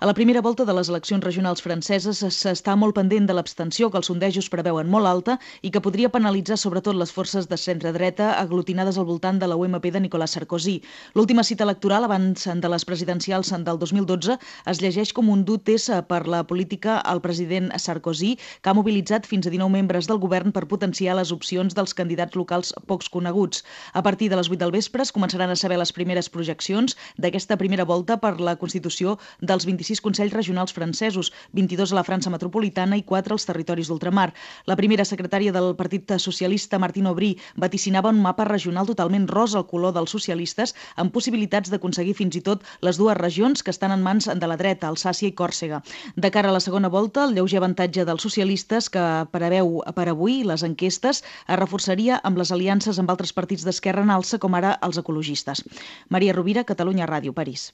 A la primera volta de les eleccions regionals franceses s'està molt pendent de l'abstenció, que els sondejos preveuen molt alta i que podria penalitzar sobretot les forces de centre-dreta aglutinades al voltant de la UMP de Nicolas Sarkozy. L'última cita electoral abans de les presidencials del 2012 es llegeix com un dur test per la política al president Sarkozy, que ha mobilitzat fins a 19 membres del govern per potenciar les opcions dels candidats locals pocs coneguts. A partir de les 8 del vespre es començaran a saber les primeres projeccions d'aquesta primera volta per la constitució dels 26 Consells Regionals francesos, 22 a la França metropolitana i 4 als territoris d'ultramar. La primera secretària del Partit Socialista, Martine Aubry, vaticinava un mapa regional totalment rosa al color dels socialistes, amb possibilitats d'aconseguir fins i tot les dues regions que estan en mans de la dreta, Alsàcia i Còrsega. De cara a la segona volta, el lleuger avantatge dels socialistes que preveu per avui les enquestes es reforçaria amb les aliances amb altres partits d'esquerra en alça, com ara els ecologistes. Maria Rovira, Catalunya Ràdio, París.